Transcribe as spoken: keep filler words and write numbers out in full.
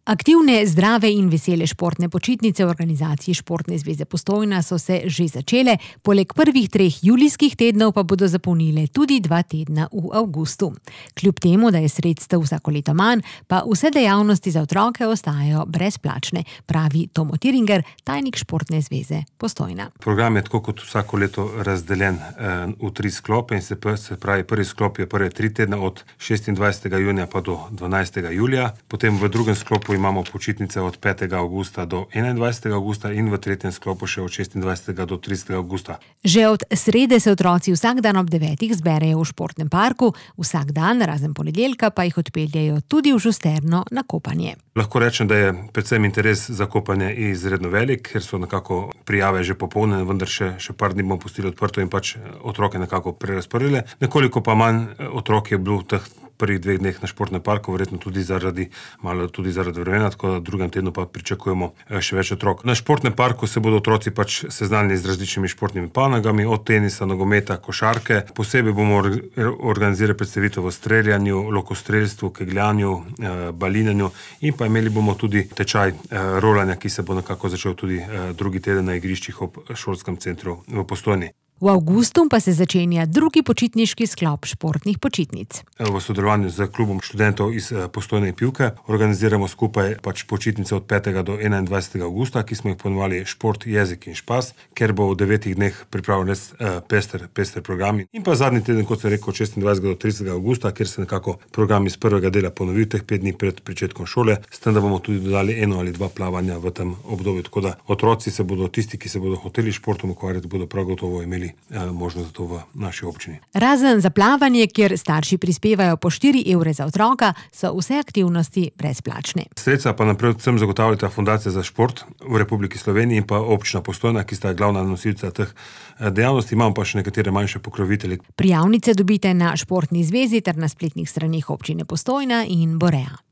Aktivne, zdrave in vesele športne počitnice v organizaciji Športne zveze Postojna so se že začele, poleg prvih treh julijskih tednov pa bodo zapolnile tudi dva tedna v avgustu. Kljub temu, da je sredstev vsako leto manj, pa vse dejavnosti za otroke ostajajo brezplačne, pravi Tomo Tiringer, tajnik Športne zveze Postojna. Program je tako kot vsako leto razdeljen eh, v tri sklope in se, se pravi, prvi sklop je prve tri tedne od šestindvajsetega junija pa do dvanajstega julija, potem v drugem sklopu imamo počitnice od petega avgusta do enaindvajsetega avgusta in v tretjem sklopu še od šestindvajsetega do tridesetega avgusta. Že od srede se otroci vsak dan ob devetih zberejo v športnem parku, vsak dan, razen ponedeljka, pa jih odpeljejo tudi v Žusterno na kopanje. Lahko rečem, da je predvsem interes za kopanje izredno velik, ker so nekako prijave že popolne, vendar še, še par dni bomo pustili odprto in pač otroke nekako prerazporedili. Nekoliko pa manj otrok je bilo v teh prvih dveh dneh na športnem parku, verjetno tudi zaradi, malo tudi zaradi vremena, tako da v drugem tednu pa pričakujemo še več otrok. Na športnem parku se bodo otroci pač seznanili z različnimi športnimi panogami, od tenisa, nogometa, košarke. Posebej bomo organizirali predstavitev v streljanju, lokostrelstvu, kegljanju, balinanju in pa imeli bomo tudi tečaj rolanja, ki se bo nekako začel tudi drugi teden na igriščih ob šolskem centru v Postojni. V avgustu pa se začenja drugi počitniški sklop športnih počitnic. V sodelovanju z klubom študentov iz Postojne Pivke organiziramo skupaj pač počitnice od petega do enaindvajsetega avgusta, ki smo jih poimenovali Šport, jezik in špas, ker bo v devetih dneh pripravljen res pester, pester program. In pa zadnji teden, kot sem rekel, od šestindvajsetega do tridesetega avgusta, kjer se nekako program iz prvega dela ponovi teh pet dni pred pričetkom šole, s tem, da bomo tudi dodali eno ali dva plavanja v tem obdobju. Tako da otroci se bodo, tisti, ki se bodo hoteli športom ukvarjati, bodo prav gotovo imeli možnost za to v naši občini. Razen za plavanje, kjer starši prispevajo po štiri evre za otroka, so vse aktivnosti brezplačne. Sredstva pa naprej vsem zagotavljata Fundacija za šport v Republiki Sloveniji in pa občina Postojna, ki sta glavna nosilca teh dejavnosti, imamo pa še nekatere manjše pokrovitelje. Prijavnice dobite na Športni zvezi ter na spletnih straneh občine Postojna in Borea.